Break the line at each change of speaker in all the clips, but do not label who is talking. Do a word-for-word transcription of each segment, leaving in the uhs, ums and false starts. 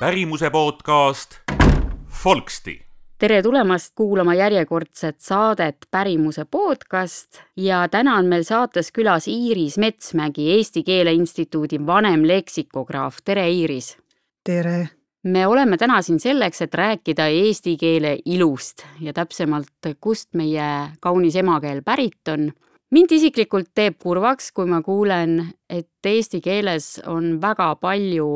pärimuse podcast Folksti.
Tere tulemast kuulama järjekordset saadet Pärimuse podcast ja täna on meil saates külas Iiris Metsmägi, Eesti Keele Instituudi vanem leksikograaf. Tere, Iiris!
Tere!
Me oleme täna siin selleks, et rääkida eesti keele ilust ja täpsemalt, kust meie kaunis emakeel pärit on. Mind isiklikult teeb kurvaks, kui ma kuulen, et eesti keeles on väga palju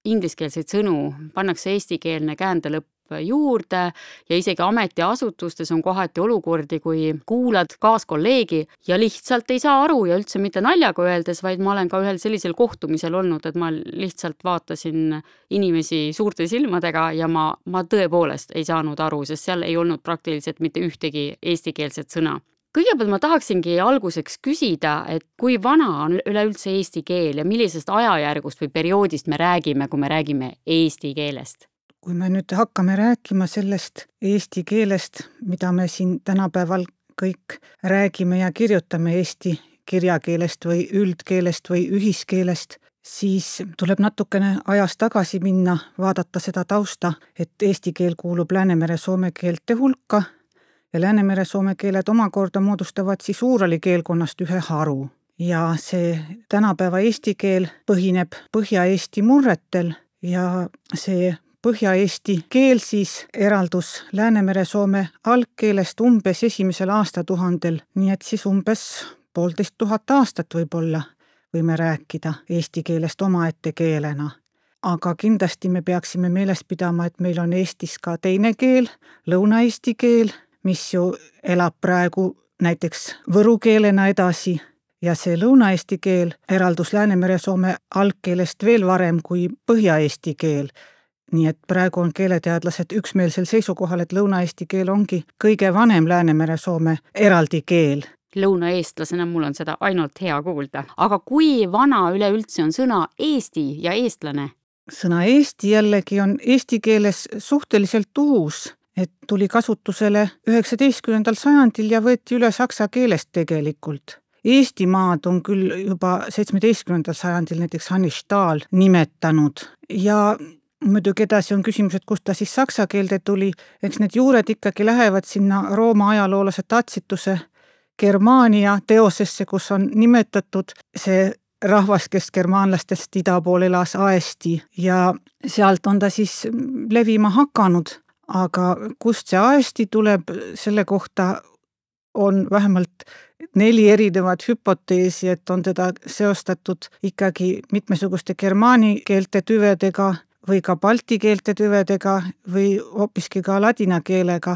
ingliskeelseid sõnu, pannakse eestikeelne käändelõpp juurde ja isegi ametiasutustes on kohati olukordi, kui kuulad kaaskolleegi ja lihtsalt ei saa aru ja üldse mitte naljaga öeldes, vaid ma olen ka ühel sellisel kohtumisel olnud, et ma lihtsalt vaatasin inimesi suurte silmadega ja ma, ma tõepoolest ei saanud aru, sest seal ei olnud praktiliselt mitte ühtegi eestikeelset sõna. Kõigepealt ma tahaksingi alguseks küsida, et kui vana on üleüldse eesti keel ja millisest ajajärgust või perioodist me räägime, kui me räägime eesti keelest?
Kui me nüüd hakkame rääkima sellest eesti keelest, mida me siin tänapäeval kõik räägime ja kirjutame eesti kirjakeelest või üldkeelest või ühiskeelest, siis tuleb natukene ajas tagasi minna, vaadata seda tausta, et eesti keel kuulub Läänemere soome keelte hulka ja Läänemere soome keeled omakorda moodustavad siis Uurali keelkonnast ühe haru. Ja see tänapäeva eesti keel põhineb Põhja-Eesti murretel ja see Põhja-Eesti keel siis eraldus Läänemere soome algkeelest umbes esimesel aastatuhandel, nii et siis umbes poolteist tuhat aastat võib-olla võime rääkida eesti keelest omaette keelena. Aga kindlasti me peaksime meeles pidama, et meil on Eestis ka teine keel, lõuna-eesti keel, mis ju elab praegu näiteks võru keelena edasi ja see lõuna-eesti keel eraldus Läänemere soome algkeelest veel varem kui Põhja-eesti keel. Nii et praegu on keeleteadlased üksmeelsel seisukohal, et lõuna-eesti keel ongi kõige vanem Läänemere soome eraldi keel.
Lõunaeestlasena mul on seda ainult hea kuulda. Aga kui vana üleüldse on sõna eesti ja eestlane?
Sõna eesti jällegi on eesti keeles suhteliselt uus, et tuli kasutusele üheksateistkümnendal sajandil ja võeti üle saksa keelest tegelikult. Eestimaad on küll juba seitsmeteistkümnendal sajandil näiteks Hannes Stahl nimetanud ja muidugi edasi on küsimus, et kust ta siis saksa keelde tuli, eks need juured ikkagi lähevad sinna Rooma ajaloolase Tatsituse Germania teosesse, kus on nimetatud see rahvas, kes germaanlastest ida pool elas aesti ja sealt on ta siis levima hakanud, aga kust see aesti tuleb, selle kohta on vähemalt neli erinevat hüpoteesi, et on teda seostatud ikkagi mitmesuguste germaani keelte tüvedega või ka balti keelte tüvedega või hoopiski ka ladina keelega,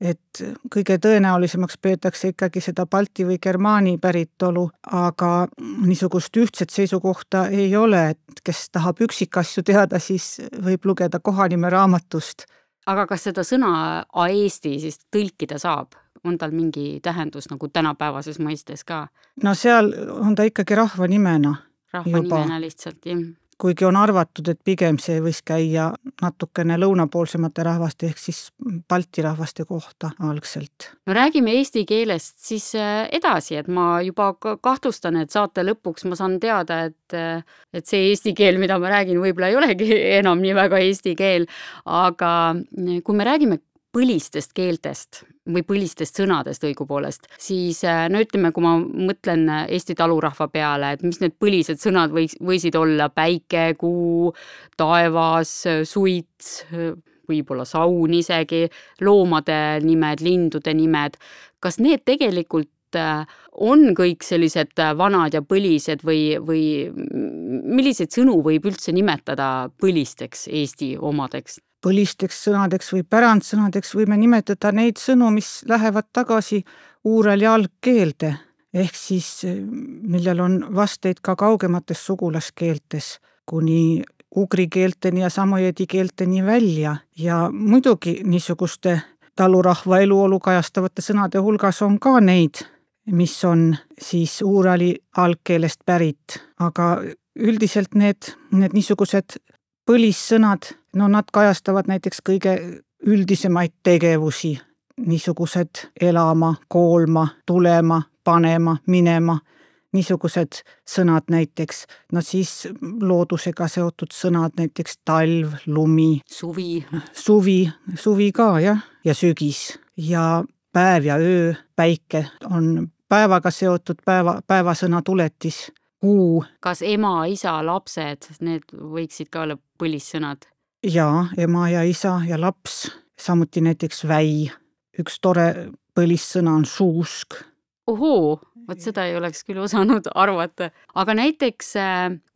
et kõige tõenäolisemaks peetakse ikkagi seda balti või germaani päritolu, aga niisugust ühtset seisukohta ei ole, et kes tahab üksikasju teada, siis võib lugeda kohanime raamatust.
Aga kas seda sõna aesti siis tõlkida saab? On tal mingi tähendus nagu tänapäevases mõistes ka?
No seal on ta ikkagi rahvanimena.
Rahvanimena lihtsalt, jah.
Kuigi on arvatud, et pigem see võis käia natukene lõunapoolsemate rahvaste ehk siis balti rahvaste kohta algselt.
No räägime eesti keelest siis edasi, et ma juba kahtlustan, et saate lõpuks ma saan teada, et, et see eesti keel, mida ma räägin, võib-olla ei olegi enam nii väga eesti keel, aga kui me räägime põlistest keeltest või põlistest sõnadest õigupoolest, siis no ütleme, kui ma mõtlen Eesti talurahva peale, et mis need põlised sõnad võiks, võisid olla päike, kuu, taevas, suits, võib-olla saun isegi, loomade nimed, lindude nimed. Kas need tegelikult on kõik sellised vanad ja põlised või, või milliseid sõnu võib üldse nimetada põlisteks Eesti omadeks?
Põlisteks sõnadeks või pärandsõnadeks võime nimetada neid sõnu, mis lähevad tagasi Uurali algkeelde, ehk siis millel on vasteid ka kaugemates sugulaskeeltes, kuni ugri keelteni ja samojedi keelteni välja. Ja muidugi niisuguste talurahva eluolu kajastavate sõnade hulgas on ka neid, mis on siis Uurali algkeelest pärit, aga üldiselt need, need niisugused põlissõnad, no nad kajastavad näiteks kõige üldisemaid tegevusi, niisugused elama, koolma, tulema, panema, minema, niisugused sõnad näiteks, no siis loodusega seotud sõnad, näiteks talv, lumi,
suvi,
suvi, suvi ka jah, ja sügis ja päev ja öö, päike on päevaga seotud, päeva, päevasõna tuletis, kuu.
Kas ema, isa, lapsed, need võiksid ka olla põlissõnad?
Jaa, ema ja isa ja laps, samuti näiteks väi. Üks tore põlissõna on suusk.
Ohoo, võt seda ei oleks küll osanud arvata. Aga näiteks,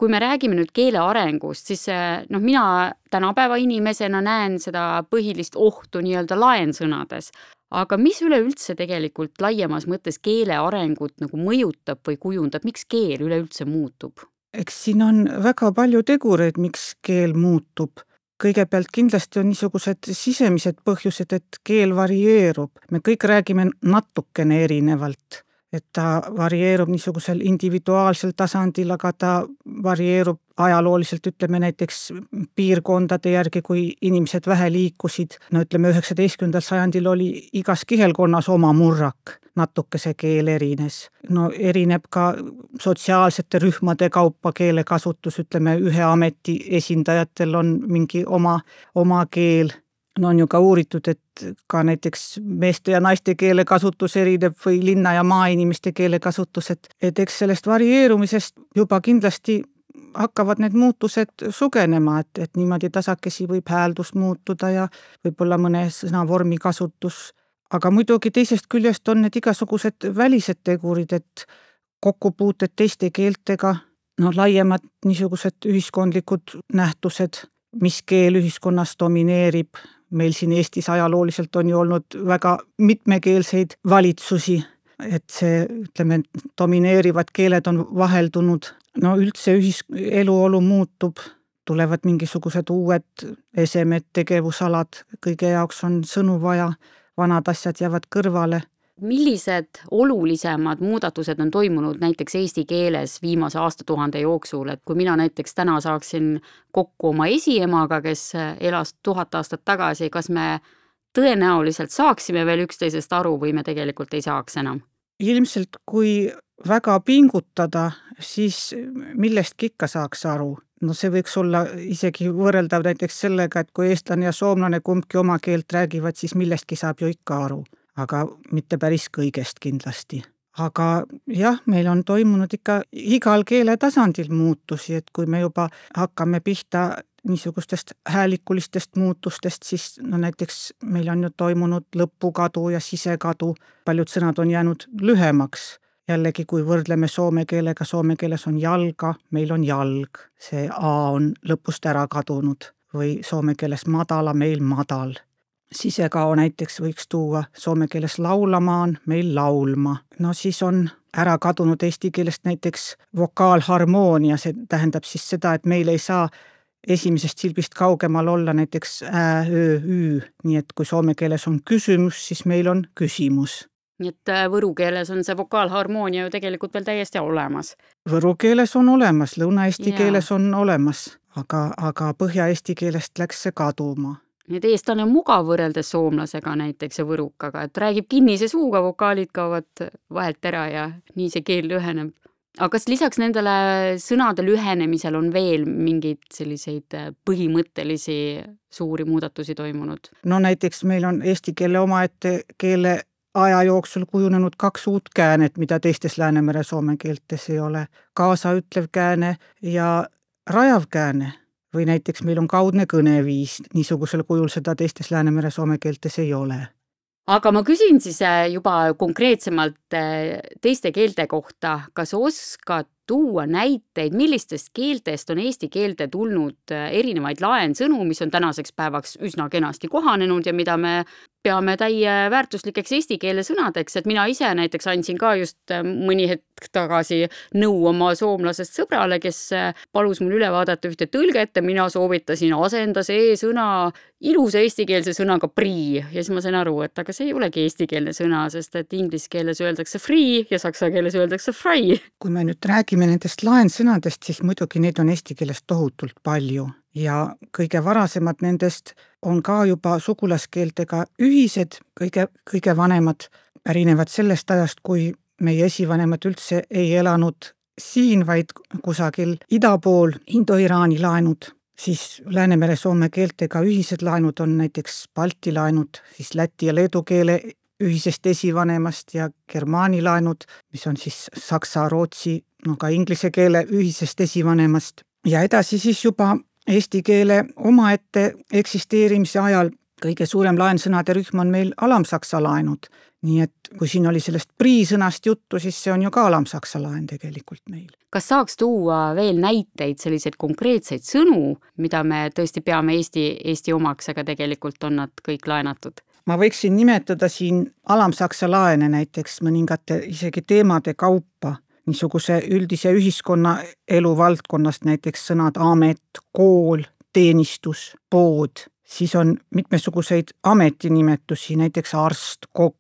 kui me räägime nüüd keele arengust, siis noh, mina tänapäeva inimesena näen seda põhilist ohtu nii-öelda laensõnades. Aga mis üleüldse tegelikult laiemas mõttes keele arengut nagu mõjutab või kujundab, miks keel üleüldse muutub?
Eks siin on väga palju tegureid, miks keel muutub. Kõigepealt kindlasti on niisugused sisemised põhjused, et keel varieerub. Me kõik räägime natukene erinevalt, et ta varieerub niisugusel individuaalsel tasandil, aga ta varieerub ajalooliselt, ütleme näiteks piirkondade järgi, kui inimesed vähe liikusid. No ütleme, üheksateistkümnendal sajandil oli igas kihelkonnas oma murrak, natuke see keel erines. No erineb ka sotsiaalsete rühmade kaupa keelekasutus, ütleme ühe ameti esindajatel on mingi oma, oma keel. No on ju ka uuritud, et ka näiteks meeste ja naiste keelekasutus erineb või linna ja maainimeste keelekasutus, et, et eks sellest varieerumisest juba kindlasti hakkavad need muutused sugenema, et, et niimoodi tasakesi võib hääldus muutuda ja võib-olla mõne sõnavormi kasutus. Aga muidugi teisest küljest on need igasugused välised tegurid, et kokkupuuted teiste keeltega, no laiemad niisugused ühiskondlikud nähtused, mis keel ühiskonnas domineerib. Meil siin Eestis ajalooliselt on ju olnud väga mitmekeelseid valitsusi, et see, ütleme, domineerivad keeled on vaheldunud. No üldse ühis- eluolu muutub, tulevad mingisugused uued esemed, tegevusalad, kõige jaoks on sõnu vaja, vanad asjad jäävad kõrvale.
Millised olulisemad muudatused on toimunud näiteks eesti keeles viimase aastatuhande jooksul, et kui mina näiteks täna saaksin kokku oma esiemaga, kes elas tuhat aastat tagasi, kas me tõenäoliselt saaksime veel üksteisest aru või me tegelikult ei saaks enam?
Ilmselt kui väga pingutada, siis millestki ikka saaks aru. No see võiks olla isegi võrreldav näiteks sellega, et kui eestlane ja soomlane kumbki oma keelt räägivad, siis millestki saab ju ikka aru. Aga mitte päris kõigest kindlasti. Aga jah, meil on toimunud ikka igal keele tasandil muutusi, et kui me juba hakkame pihta niisugustest häälikulistest muutustest, siis no näiteks meil on ju toimunud lõpukadu ja sisekadu, paljud sõnad on jäänud lühemaks. Jällegi, kui võrdleme soome keelega, soome keeles on jalga, meil on jalg, see A on lõpust ära kadunud või soome keeles madala, meil madal. Sisekao näiteks võiks tuua soome keeles laulamaan, meil laulma. No siis on ära kadunud eesti keelest näiteks vokaalharmoonia, see tähendab siis seda, et meil ei saa esimesest silbist kaugemal olla näiteks ä, ö, ü, nii et kui soome keeles on küsimus, siis meil on küsimus.
Nii et võru keeles on see vokaalharmoonia ju tegelikult veel täiesti olemas.
Võru keeles on olemas, lõuna-eesti
Jaa.
keeles on olemas, aga, aga põhja-eesti keelest läks see kaduma.
Need eestlane on mugav võrreldes soomlasega näiteks ja võrukaga, et räägib kinnise suuga, vokaalid kaovad vahelt ära ja nii see keel lüheneb. Aga kas lisaks nendele sõnade lühenemisel on veel mingeid selliseid põhimõttelisi suuri muudatusi toimunud?
No näiteks meil on eesti keele omaette keele aja jooksul kujunenud kaks uut käänet, mida teistes Läänemere soome keeltes ei ole. Kaasaütlev kääne ja rajav kääne. Või näiteks meil on kaudne kõneviis, niisugusel kujul seda teistes Läänemere soome keeltes ei ole.
Aga ma küsin siis juba konkreetsemalt teiste keelte kohta, kas oskad tuua näiteid, millistest keeltest on eesti keelte tulnud erinevaid laensõnu, mis on tänaseks päevaks üsna kenasti kohanenud ja mida me peame täie väärtuslikeks eesti keele sõnadeks, et mina ise näiteks andsin ka just mõni hetk tagasi nõu oma soomlasest sõbrale, kes palus mul üle vaadata ühte tõlget ja mina soovitasin asenda see sõna ilusa eestikeelse sõnaga prii ja siis ma sain aru, et aga see ei olegi eestikeelne sõna, sest et inglise keeles öeldakse free ja saksa keeles öeldakse fry.
Kui me nüüd räägime nendest laensõnadest, siis muidugi neid on eesti keeles tohutult palju ja kõige varasemad nendest on ka juba sugulaskeeltega ühised, kõige, kõige vanemad pärinevad sellest ajast, kui meie esivanemad üldse ei elanud siin, vaid kusagil ida pool Indo-Iraani laenud, siis Läänemere-Soome keeltega ühised laenud on näiteks Balti laenud, siis läti ja leedu keele ühisest esivanemast ja germaani laenud, mis on siis saksa, rootsi, no ka inglise keele ühisest esivanemast. Ja edasi siis juba eesti keele omaette eksisteerimise ajal kõige suurem laensõnade rühm on meil alamsaksa laenud. Nii et kui siin oli sellest priisõnast juttu, siis see on ju ka alamsaksa laen tegelikult meil.
Kas saaks tuua veel näiteid, selliseid konkreetseid sõnu, mida me tõesti peame Eesti, Eesti omaks, aga tegelikult on nad kõik laenatud?
Ma võiksin nimetada siin alamsaksa laene näiteks mõningate isegi teemade kaupa, niisuguse üldise ühiskonna elu valdkonnast, näiteks sõnad amet, kool, teenistus, pood, siis on mitmesuguseid ametinimetusi, näiteks arst, kokk,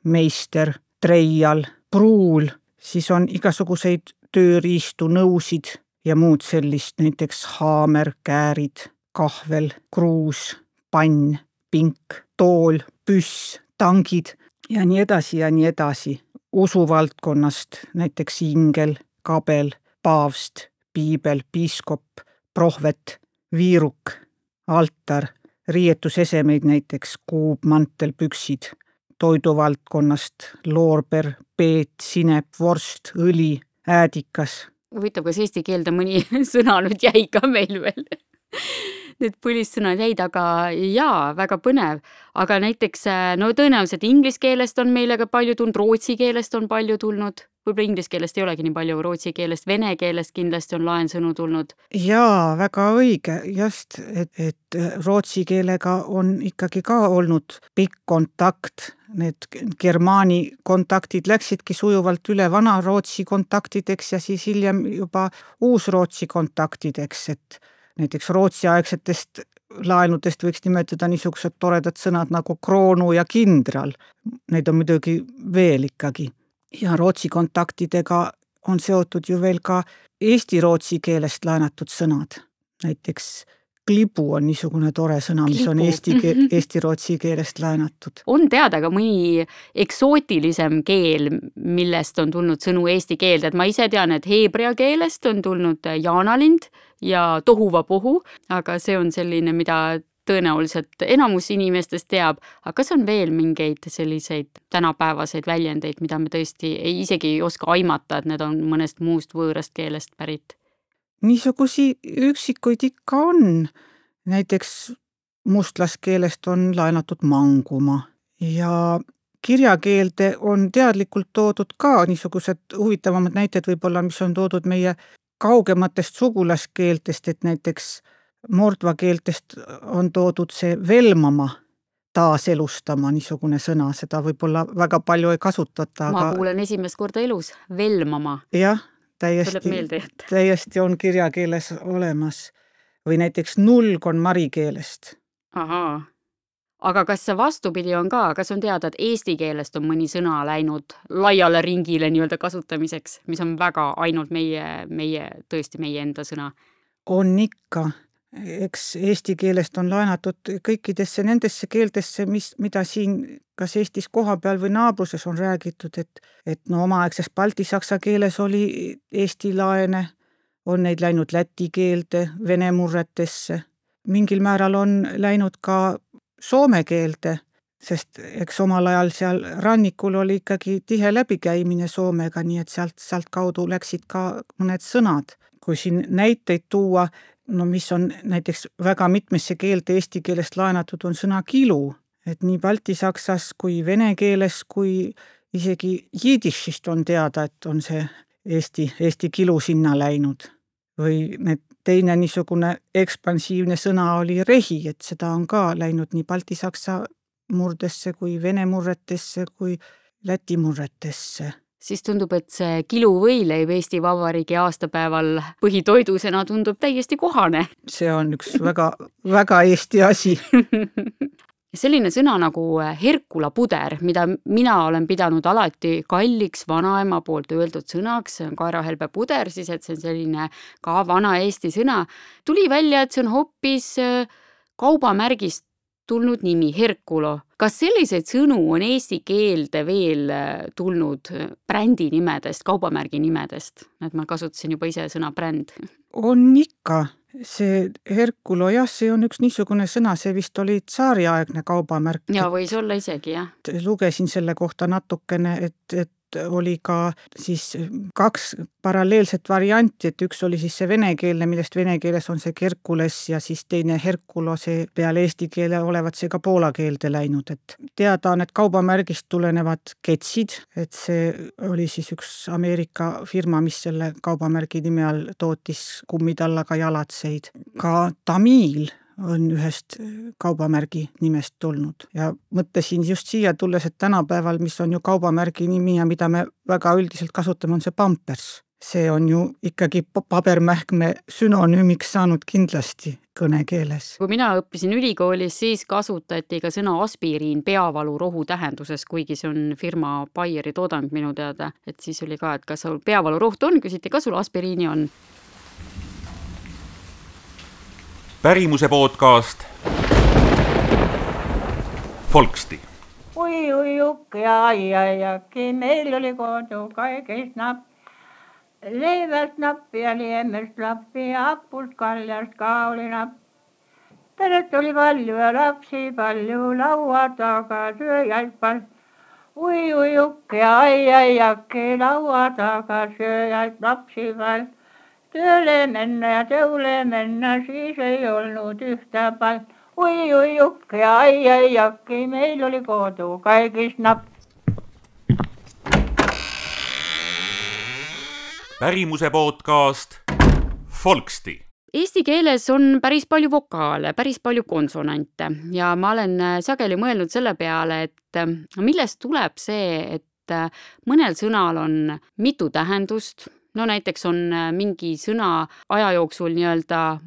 meister, treial, pruul, siis on igasuguseid tööriistu, nõusid ja muud sellist, näiteks haamer, käärid, kahvel, kruus, pann, pink, tool, püss, tangid ja nii edasi ja nii edasi. Usuvaldkonnast näiteks ingel, kabel, paavst, piibel, piiskop, prohvet, viiruk, altar, riietusesemeid näiteks kuub, mantel, püksid, toiduvaldkonnast loorber, peet, sinep, vorst, õli, äädikas.
Huvitav, kas eesti keelde mõni sõna nüüd jäi ka meil veel? Need põlissõnad jäid, aga jaa, väga põnev. Aga näiteks, no tõenäoliselt inglise keelest on meile ka palju tulnud, rootsi keelest on palju tulnud. Võib-olla inglise keelest ei olegi nii palju, rootsi keelest, vene keelest kindlasti on laensõnu tulnud.
Jaa, väga õige, just, et, et rootsi keelega on ikkagi ka olnud pikk kontakt. Need germaani kontaktid läksidki sujuvalt üle vana rootsi kontaktideks ja siis hiljem juba uusrootsi kontaktideks, et näiteks rootsiaegsetest laenudest võiks nimetada niisugused toredad sõnad nagu kroonu ja kindral. Neid on muidugi veel ikkagi. Ja rootsi kontaktidega on seotud ju veel ka eesti-rootsi keelest laenatud sõnad. Näiteks klibu on niisugune tore sõna, mis klibu. On eesti, eesti-rootsi keelest laenatud.
On teada ka mõni eksootilisem keel, millest on tulnud sõnu eesti keelde. Et ma ise tean, et heebrea keelest on tulnud jaanalind ja tohuvapohu, aga see on selline, mida tõenäoliselt enamus inimestest teab. Aga kas on veel mingeid selliseid tänapäevaseid väljendeid, mida me tõesti ei isegi ei oska aimata, et need on mõnest muust võõrast keelest pärit?
Niisugusi üksikuid ikka on. Näiteks mustlaskeelest on laenatud manguma ja kirjakeelde on teadlikult toodud ka niisugused huvitavamad näited võib-olla, mis on toodud meie kaugematest sugulaskeeltest, et näiteks mordva keeltest on toodud see velmama, taaselustama niisugune sõna, seda võib-olla väga palju ei kasutata.
Ma aga... kuulen esimest korda elus, velmama.
Jah, täiesti, täiesti on kirjakeeles olemas. Või näiteks nulg on mari keelest.
Ahaa. Aga kas see vastupidi on ka? Kas on teada, et eesti keelest on mõni sõna läinud laiale ringile nii-öelda kasutamiseks, mis on väga ainult meie, meie, tõesti meie enda sõna?
On ikka. Eks eesti keelest on laenatud kõikidesse nendesse keeltesse, mis, mida siin kas Eestis kohapeal või naabruses on räägitud, et, et no omaaegses baltisaksa keeles oli eesti laene, on neid läinud läti keelde, vene murretesse. Mingil määral on läinud ka soome keelde, sest eks omal ajal seal rannikul oli ikkagi tihe läbikäimine Soomega, nii et sealt, sealt kaudu läksid ka mõned sõnad. Kui siin näiteid tuua, no mis on näiteks väga mitmesse keelte eesti keelest laenatud, on sõna kilu, et nii baltisaksas kui vene keeles kui isegi jiidishist on teada, et on see eesti, eesti kilu sinna läinud. Või need teine niisugune ekspansiivne sõna oli rehi, et seda on ka läinud nii baltisaksa murdesse kui vene murretesse kui läti murretesse.
Siis tundub, et see kiluvõileib Eesti Vabariigi aastapäeval põhitoidusena tundub täiesti kohane.
See on üks väga, väga Eesti asi.
Selline sõna nagu Herkula puder, mida mina olen pidanud alati kalliks vanaema poolt öeldud sõnaks, see on kaerahelbe puder, siis et see on selline ka vana Eesti sõna. Tuli välja, et see on hoopis kaubamärgist tulnud nimi, Herkulo. Kas selliseid sõnu on eesti keelde veel tulnud brändi nimedest, kaubamärgi nimedest? Et ma kasutasin juba ise sõna bränd.
On ikka. See Herkulo, jah, see on üks niisugune sõna, see vist oli tsaariaegne kaubamärk.
Ja võis olla isegi, jah.
Lugesin selle kohta natukene, et, et oli ka siis kaks paralleelset varianti, et üks oli siis see venekeelne, millest vene keeles on see Kerkules ja siis teine Herkulo, see peale eesti keele olevat see ka poola keelde läinud. Et teada on, et kaubamärgist tulenevad ketsid, et see oli siis üks Ameerika firma, mis selle kaubamärgi nime all tootis kummitallaga jalatseid. Ka Tamiil on ühest kaubamärgi nimest tulnud ja mõtlesin just siia tulles, et tänapäeval, mis on ju kaubamärgi nimi ja mida me väga üldiselt kasutame, on see Pampers. See on ju ikkagi pabermähkme sünonüümiks saanud kindlasti kõnekeeles.
Kui mina õppisin ülikoolis, siis kasutati ka sõna aspiriin peavalurohu tähenduses, kuigi see on firma Bayeri toodang minu teada, et siis oli ka, et kas sul peavaluroht on, küsiti, kas sul aspiriini on.
Pärimuse podcast Folksti.
Ui, ui, ukki, ai, ai, akki, meil oli kodu kaikist napp. Leivät nappi ja liemest lappi, appust kaljast ka oli napp. Peret oli palju ja lapsi palju, laua taga sööjaid pal. Ui, ui, ukki, ai, ai, akki, laua taga sööjaid lapsi pal. Tööle mennä ja tööle mennä, siis ei olnud yhtä pal. Ui, ui, ukki, ai, ai, akki, meil oli kodu kaikist napp.
Pärimuse podcast Folksti.
Eesti keeles on päris palju vokaale, päris palju konsonante ja ma olen sageli mõelnud selle peale, et millest tuleb see, et mõnel sõnal on mitu tähendust. No näiteks on mingi sõna aja jooksul nii-öelda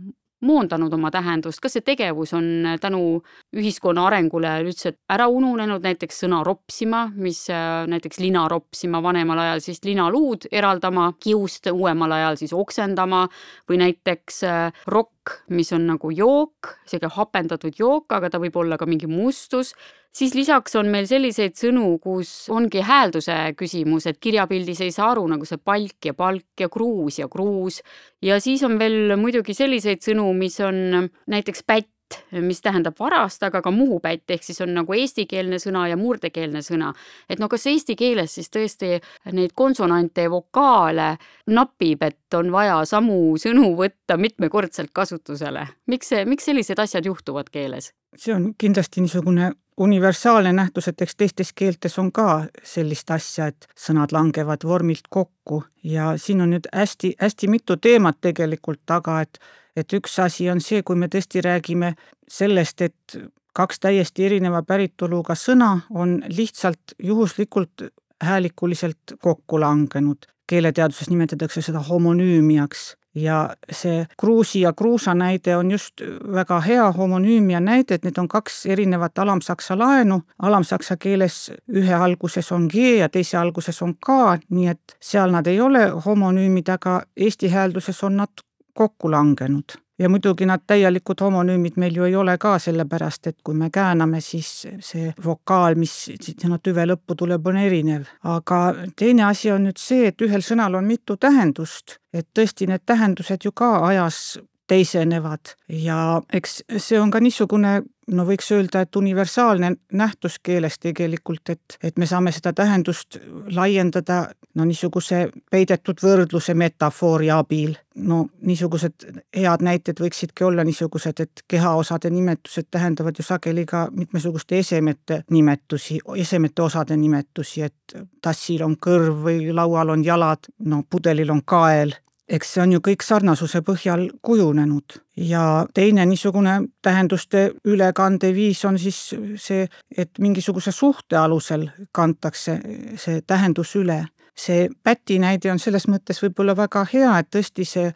moondanud oma tähendust, kas see tegevus on tänu ühiskonna arengule üldse ära ununenud, näiteks sõna ropsima, mis näiteks lina ropsima vanemal ajal siis linaluud eraldama kiust, uuemal ajal siis oksendama või näiteks rokk, mis on nagu jook, seega hapendatud jook, aga ta võib olla ka mingi mustus. Siis lisaks on meil selliseid sõnu, kus ongi häälduse küsimus, et kirjapildis ei saa aru nagu see palk ja palk ja kruus ja kruus. Ja siis on veel muidugi selliseid sõnu, mis on näiteks pätt, mis tähendab varast, aga ka muhupätt, ehk siis on nagu eestikeelne sõna ja murdekeelne sõna. Et no kas eesti keeles siis tõesti neid konsonante ja vokaale napib, et on vaja samu sõnu võtta mitmekordselt kasutusele? Miks, see, miks sellised asjad juhtuvad keeles?
See on kindlasti niisugune universaalne nähtus, et eks teistes keeltes on ka sellist asja, et sõnad langevad vormilt kokku ja siin on nüüd hästi, hästi mitu teemat tegelikult taga, et, et üks asi on see, kui me tõesti räägime sellest, et kaks täiesti erineva päritoluga sõna on lihtsalt juhuslikult häälikuliselt kokku langenud. Keeleteaduses nimetatakse seda homonüümiaks. Ja see kruusi ja kruusa näide on just väga hea homonüümia näide, et need on kaks erinevat alamsaksa laenu. Alamsaksa keeles ühe alguses on G ja teise alguses on K, nii et seal nad ei ole homonüümid, aga eesti häälduses on nad kokku langenud. Ja muidugi nad täielikud homonüümid meil ju ei ole ka sellepärast, et kui me kääname, siis see vokaal, mis sinna tüve lõppu tuleb, on erinev. Aga teine asi on nüüd see, et ühel sõnal on mitu tähendust, et tõesti need tähendused ju ka ajas teisenevad ja eks see on ka niisugune, no võiks öelda, et universaalne nähtus keeles tegelikult, et, et me saame seda tähendust laiendada no niisuguse peidetud võrdluse metafoori abil. No niisugused head näited võiksidki olla niisugused, et kehaosade nimetused tähendavad ju sageli ka mitmesuguste esemete nimetusi, esemete osade nimetusi, et tassil on kõrv või laual on jalad, no pudelil on kael. Eks see on ju kõik sarnasuse põhjal kujunenud ja teine niisugune tähenduste ülekande viis on siis see, et mingisuguse suhte alusel kantakse see tähendus üle. See päti näide on selles mõttes võib-olla väga hea, et tõesti see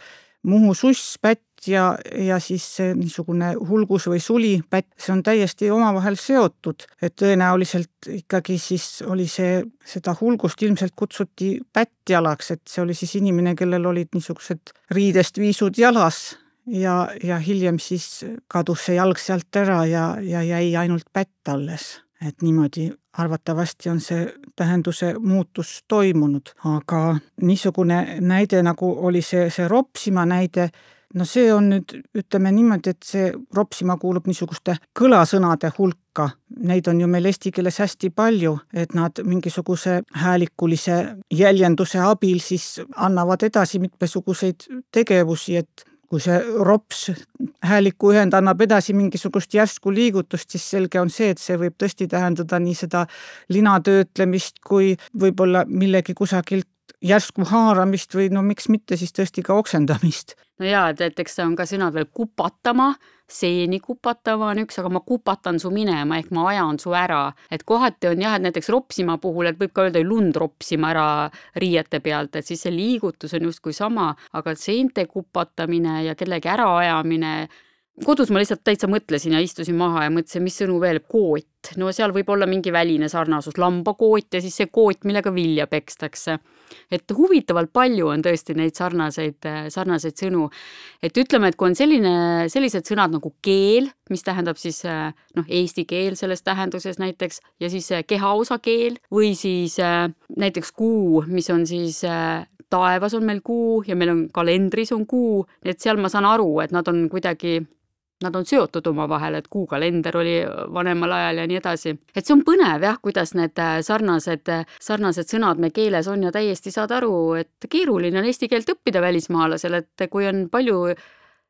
Muhu suss pätt ja, ja siis see niisugune hulgus või suli pätt, see on täiesti omavahel seotud, et tõenäoliselt ikkagi siis oli see, seda hulgust ilmselt kutsuti pättjalaks, et see oli siis inimene, kellel olid niisugused riidest viisud jalas ja, ja hiljem siis kadus see jalg sealt ära ja, ja jäi ainult pätt alles. Et niimoodi arvatavasti on see tähenduse muutus toimunud, aga niisugune näide, nagu oli see, see ropsima näide, no see on nüüd, ütleme niimoodi, et see ropsima kuulub niisuguste kõlasõnade hulka. Neid on ju meil eesti keeles hästi palju, et nad mingisuguse häälikulise jäljenduse abil siis annavad edasi mitmesuguseid tegevusi, et kui see rops hääliku ühend annab edasi mingisugust järsku liigutust, siis selge on see, et see võib tõesti tähendada nii seda linatöötlemist kui võib-olla millegi kusagilt järsku haaramist või no miks mitte siis tõesti ka oksendamist.
No jaa, et, et eks see on ka sõnad veel kupatama, seeni kupatama on üks, aga ma kupatan su minema ehk ma ajan su ära. Et kohati on jah, et näiteks ropsima puhul, et võib ka öelda lund ropsima ära riiete pealt, et siis see liigutus on justkui sama, aga seente kupatamine ja kellegi äraajamine. Kodus ma lihtsalt täitsa mõtlesin ja istusin maha ja mõtlesin, mis sõnu veel, koot. No seal võib olla mingi väline sarnasus, lambakoot ja siis see koot, millega vilja pekstakse. Et huvitavalt palju on tõesti neid sarnaseid, sarnaseid sõnu. Et ütleme, et kui on selline, sellised sõnad nagu keel, mis tähendab siis noh, eesti keel selles tähenduses näiteks, ja siis kehaosa keel või siis näiteks kuu, mis on siis taevas on meil kuu ja meil on kalendris on kuu, et seal ma saan aru, et nad on kuidagi Nad on seotud oma vahel, et kuukalender oli vanemal ajal ja nii edasi. Et see on põnev jah, kuidas need sarnased, sarnased sõnad me keeles on ja täiesti saad aru, et keeruline on eesti keelt õppida välismaalasel, et kui on palju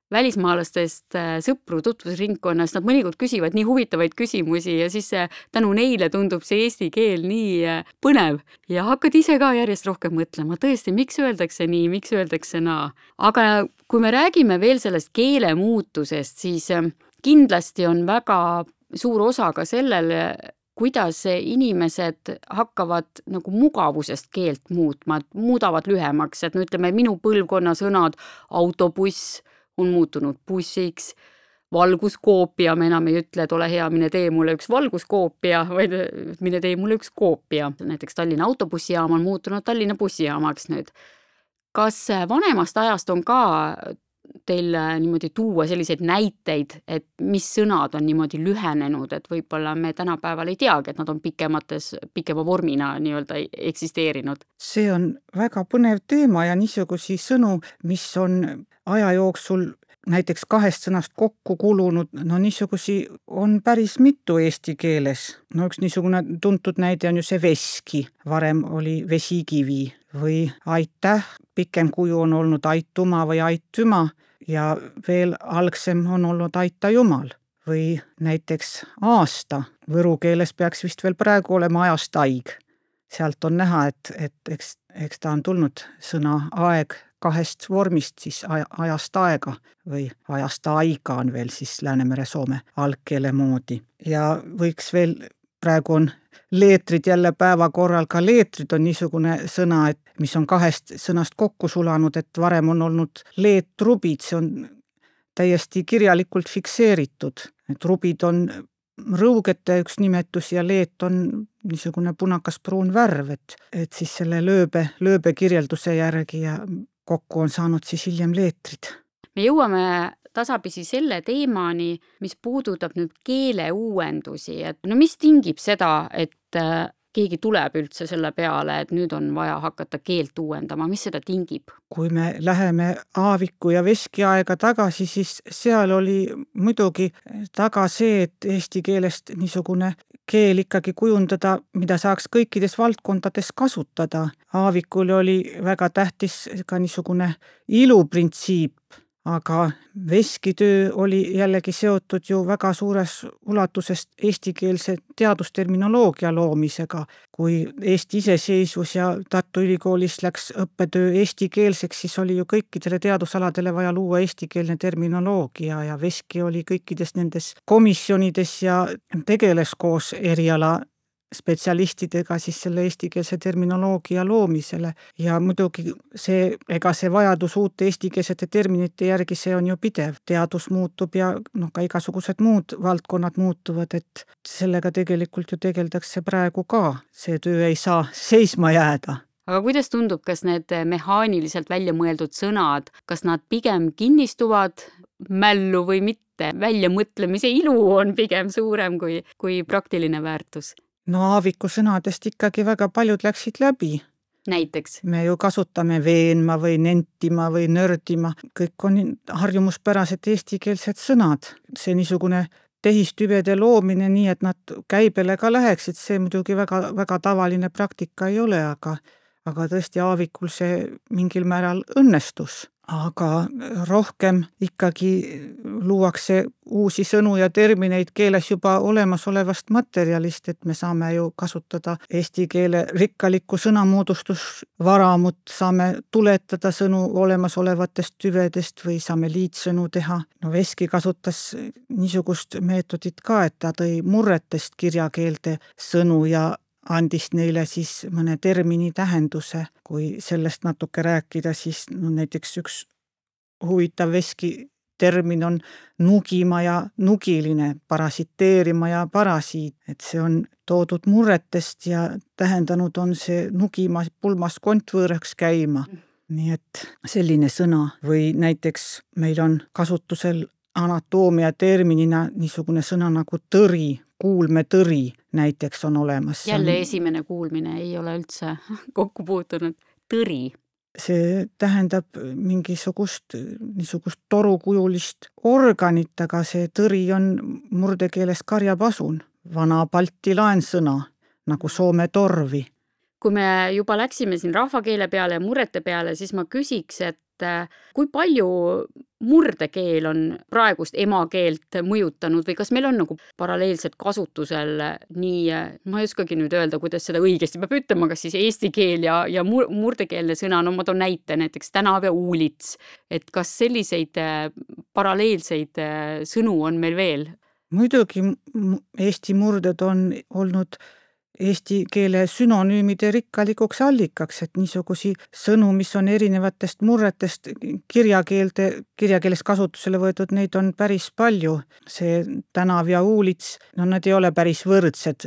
välismaalastest sõpru tutvusringkonnas, nad mõnikord küsivad nii huvitavaid küsimusi ja siis tänu neile tundub see eesti keel nii põnev ja hakkad ise ka järjest rohkem mõtlema, tõesti, miks öeldakse nii, miks öeldakse naa. Aga kui me räägime veel sellest keele muutusest, siis kindlasti on väga suur osa ka sellel, kuidas inimesed hakkavad nagu mugavusest keelt muutma, muudavad lühemaks, et no ütleme, minu põlvkonna sõnad autobuss on muutunud bussiks, valguskoopia, me enam ei ütle, et ole hea, mine tee mulle üks valguskoopia, vaid mine tee mulle üks koopia. Näiteks Tallinna autobussijaam on muutunud Tallinna bussijaamaks nüüd. Kas vanemast ajast on ka teil niimoodi tuua selliseid näiteid, et mis sõnad on niimoodi lühenenud, et võib-olla me tänapäeval ei teagi, et nad on pikemates, pikema vormina nii-öelda eksisteerinud?
See on väga põnev teema ja niisugusi sõnu, mis on aja jooksul näiteks kahest sõnast kokku kulunud, no niisugusi on päris mitu eesti keeles. No üks niisugune tuntud näide on ju see veski, varem oli vesikivi või aitäh, pikem kuju on olnud aituma või aitüma ja veel algsem on olnud aita jumal või näiteks aasta. Võru keeles peaks vist veel praegu olema ajast aig. Sealt on näha, et, et eks, eks ta on tulnud sõna aeg kahest vormist, siis ajast aega või ajast aiga on veel siis Läänemere Soome algkeele moodi. Ja võiks veel, praegu on leetrid jälle päevakorral, ka leetrid on niisugune sõna, et mis on kahest sõnast kokku sulanud, et varem on olnud leetrubid, see on täiesti kirjalikult fikseeritud. Et rubid on rõugete üks nimetus ja leet on niisugune punakas pruun värv, et, et siis selle lööbe, lööbe kirjelduse järgi ja kokku on saanud siis hiljem leetrid.
Me jõuame tasapisi selle teemani, mis puudutab nüüd keele uuendusi, et no mis tingib seda, et keegi tuleb üldse selle peale, et nüüd on vaja hakata keelt uuendama, mis seda tingib?
Kui me läheme aaviku ja veskiaega tagasi, siis seal oli muidugi taga see, et eesti keelest niisugune keel ikkagi kujundada, mida saaks kõikides valdkondades kasutada. Aavikul oli väga tähtis ka niisugune iluprintsiip, aga veskitöö oli jällegi seotud ju väga suures ulatusest eestikeelse teadusterminoloogia loomisega. Kui Eesti iseseisvus ja Tartu Ülikoolis läks õppetöö eestikeelseks, siis oli ju kõikidele teadusaladele vaja luua eestikeelne terminoloogia ja veski oli kõikides nendes komisjonides ja tegeles koos eriala spetsialistidega siis selle eestikeelse terminoloogia loomisele ja muidugi see, ega see vajadus uute eestikeelsete terminite järgi, see on ju pidev. Teadus muutub ja noh, ka igasugused muud valdkonnad muutuvad, et sellega tegelikult ju tegeldakse praegu ka. See töö ei saa seisma jääda.
Aga kuidas tundub, kas need mehaaniliselt välja mõeldud sõnad, kas nad pigem kinnistuvad mällu või mitte. Väljamõtlemise ilu on pigem suurem kui, kui praktiline väärtus.
No Aaviku sõnadest ikkagi väga paljud läksid läbi.
Näiteks?
Me ju kasutame veenma või nentima või nördima. Kõik on harjumuspärased eestikeelsed sõnad. See niisugune tehistüvede loomine nii, et nad käibele ka läheksid, see muidugi väga, väga tavaline praktika ei ole, aga, aga tõesti Aavikul see mingil määral õnnestus. Aga rohkem ikkagi luuakse uusi sõnu ja termineid keeles juba olemasolevast materjalist, et me saame ju kasutada eesti keele rikkalikku sõnamoodustusvaramut, saame tuletada sõnu olemasolevatest tüvedest või saame liitsõnu teha. No Veski kasutas niisugust meetodit ka, et ta tõi murretest kirjakeelde sõnu ja andis neile siis mõne termini tähenduse. Kui sellest natuke rääkida, siis no näiteks üks huvitav Veski termin on nugima ja nugiline, parasiteerima ja parasiit. Et see on toodud murretest ja tähendanud on see nugima pulmas kontvõõraks käima. Nii et selline sõna. Või näiteks meil on kasutusel anatoomia terminina niisugune sõna nagu tõri, kuulmetõri näiteks on olemas.
Jälle esimene kuulmine ei ole üldse kokku puutunud. Tõri.
See tähendab mingisugust niisugust torukujulist organit, aga see tõri on murdekeeles karjapasun. Vana balti laensõna, nagu Soome torvi.
Kui me juba läksime siin rahvakeele peale ja murrete peale, siis ma küsiks, et kui palju murdekeel on praegust emakeelt mõjutanud või kas meil on nagu paralleelselt kasutusel nii, ma ei oskagi nüüd öelda, kuidas seda õigesti peab ütlema, kas siis eesti keel ja, ja murdekeelne sõna, no ma toon näite näiteks tänav ja uulits, et kas selliseid paralleelseid sõnu on meil veel?
Muidugi eesti murded on olnud eesti keele sünonüümide rikkalikuks allikaks, et niisugusi sõnu, mis on erinevatest murretest kirjakeelde, kirjakeeles kasutusele võetud, neid on päris palju. See tänav ja uulits, no nad ei ole päris võrdsed,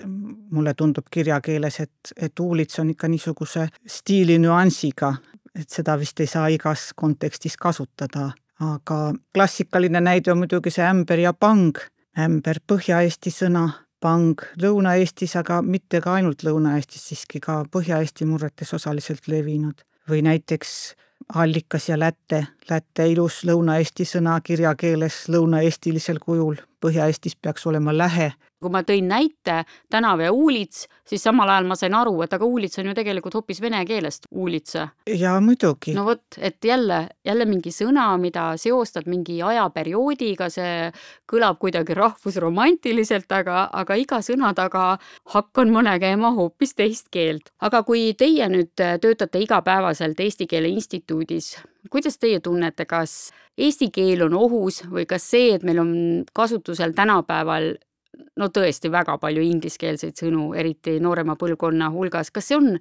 mulle tundub kirjakeeles, et, et uulits on ikka niisuguse stiili nüansiga, et seda vist ei saa igas kontekstis kasutada. Aga klassikaline näide on muidugi see ämber ja pang. Ämber Põhja-Eesti sõna, pang Lõuna-Eestis, aga mitte ka ainult Lõuna-Eestis, siiski ka Põhja-Eesti murretes osaliselt levinud. Või näiteks allikas ja lätte, lätte ilus Lõuna-Eesti sõna kirjakeeles lõuna-eestilisel kujul. Põhja-Eestis peaks olema lähe.
Kui ma tõin näite tänav ja uulits, siis samal ajal ma sain aru, et aga uulits on ju tegelikult hoopis vene keelest uulitsa.
Ja muidugi.
No vot, et jälle, jälle mingi sõna, mida seostad mingi ajaperioodiga, see kõlab kuidagi rahvusromantiliselt, aga, aga iga sõna taga hakkan ma nägema hoopis teist keelt. Aga kui teie nüüd töötate igapäevaselt Eesti Keele Instituudis, kuidas teie tunnete, kas eesti keel on ohus või kas see, et meil on kasutusel tänapäeval no tõesti väga palju ingliskeelseid sõnu, eriti noorema põlvkonna hulgas, kas see on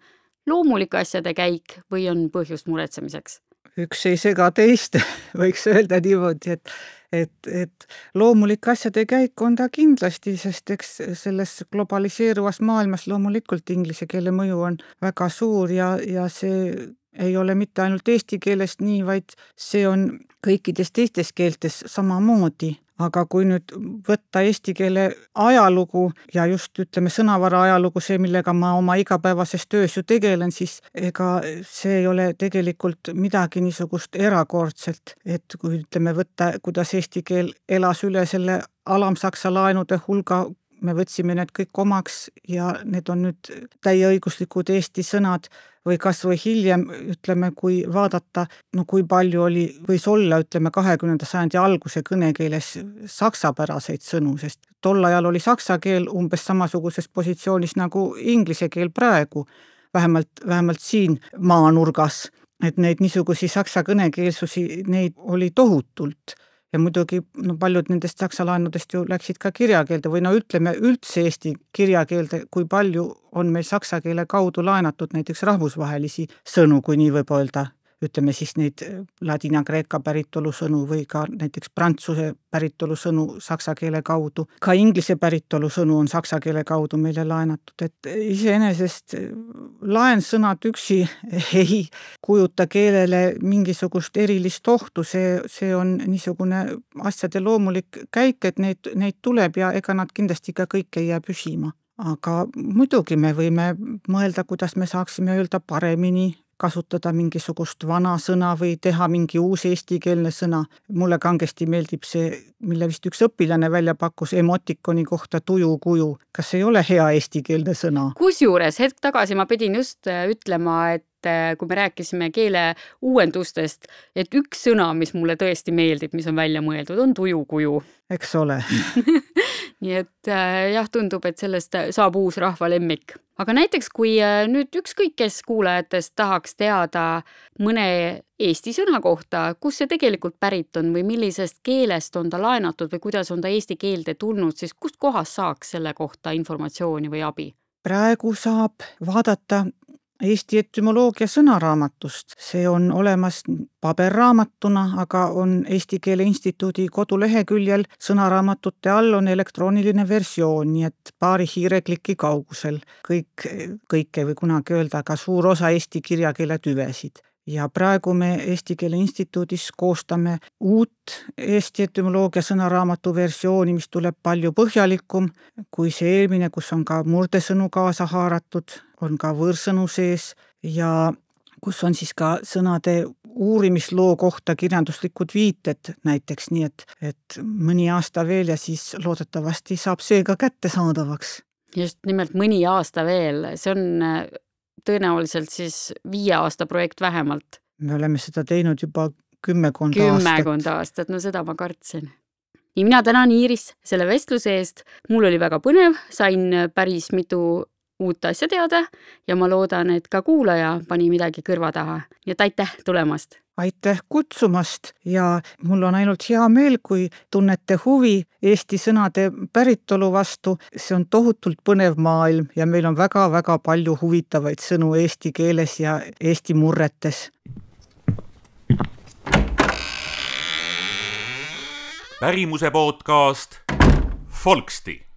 loomulik asjade käik või on põhjust muretsemiseks?
Üks ei sega teist, võiks öelda niimoodi, et, et, et loomulik asjade käik on ta kindlasti, sest eks selles globaliseeruvas maailmas loomulikult inglise keele mõju on väga suur ja, ja see ei ole mitte ainult eesti keelest nii, vaid see on kõikides teistes keeltes samamoodi. Aga kui nüüd võtta eesti keele ajalugu ja just ütleme sõnavara ajalugu, see, millega ma oma igapäevases töös ju tegelen, siis ega see ei ole tegelikult midagi niisugust erakordselt, et kui ütleme võtta, kuidas eesti keel elas üle selle alamsaksa laenude hulga, me võtsime need kõik omaks ja need on nüüd täieõiguslikud eesti sõnad või kas või hiljem, ütleme, kui vaadata, no kui palju oli, võis olla, ütleme, kahekümnenda sajandi alguse kõnekeeles saksapäraseid sõnu, sest tol ajal oli saksa keel umbes samasuguses positsioonis nagu inglise keel praegu, vähemalt, vähemalt siin maanurgas, et neid niisugusi saksa kõnekeelsusi, neid oli tohutult. Ja muidugi no paljud nendest saksa laenudest ju läksid ka kirjakeelde või no ütleme üldse eesti kirjakeelde, kui palju on meil saksa keele kaudu laenatud näiteks rahvusvahelisi sõnu, kui nii võib öelda. ütleme siis neid ladina-kreeka päritolu sõnu või ka näiteks prantsuse päritolu sõnu saksa keele kaudu. Ka inglise päritolu sõnu on saksa keele kaudu meile laenatud, et iseenesest laensõnad üksi ei kujuta keelele mingisugust erilist ohtu, see, see on niisugune asjade loomulik käik, et neid, neid tuleb ja ega nad kindlasti ka kõik ei jää püsima. Aga muidugi me võime mõelda, kuidas me saaksime öelda paremini, kasutada mingisugust vana sõna või teha mingi uus eestikeelne sõna. Mulle kangesti meeldib see, mille vist üks õpilane välja pakkus emotikoni kohta tujukuju. Kas ei ole hea eestikeelne sõna?
Kusjuures hetk tagasi ma pidin just ütlema, et kui me rääkisime keele uuendustest, et üks sõna, mis mulle tõesti meeldib, mis on välja mõeldud, on tujukuju.
Eks ole.
Nii et jah, tundub, et sellest saab uus rahva lemmik. Aga näiteks, kui nüüd ükskõik kes kuulajatest tahaks teada mõne eesti sõna kohta, kus see tegelikult pärit on või millisest keelest on ta laenatud või kuidas on ta eesti keelde tulnud, siis kust kohast saaks selle kohta informatsiooni või abi?
Praegu saab vaadata Eesti etümoloogia sõnaraamatust. See on olemas paberraamatuna, aga on Eesti Keele Instituudi koduleheküljel sõnaraamatute all on elektrooniline versioon, nii et paari hiirekliki kaugusel kõik, kõike või kunagi öelda ka suur osa eesti kirjakeele tüvesid. Ja praegu me Eesti Keele Instituudis koostame uut Eesti etümoloogia sõnaraamatu versiooni, mis tuleb palju põhjalikum kui see eelmine, kus on ka murdesõnu kaasa haaratud, on ka võõrsõnu sees ja kus on siis ka sõnade uurimisloo kohta kirjanduslikud viited näiteks, nii et, et mõni aasta veel ja siis loodetavasti saab see ka kättesaadavaks.
Just nimelt mõni aasta veel, see on tõenäoliselt siis viie aasta projekt vähemalt.
Me oleme seda teinud juba kümmekond
aastat.
Kümmekond
aastat, no seda ma kartsin. Nii mina tänan Iiris selle vestluse eest. Mul oli väga põnev, sain päris mitu uut asja teada ja ma loodan, et ka kuulaja pani midagi kõrva taha. Nii et aitäh tulemast!
Aitäh kutsumast ja mul on ainult hea meel, kui tunnete huvi eesti sõnade päritolu vastu. See on tohutult põnev maailm ja meil on väga-väga palju huvitavaid sõnu eesti keeles ja eesti murretes.
Pärimuse podcast Folksti.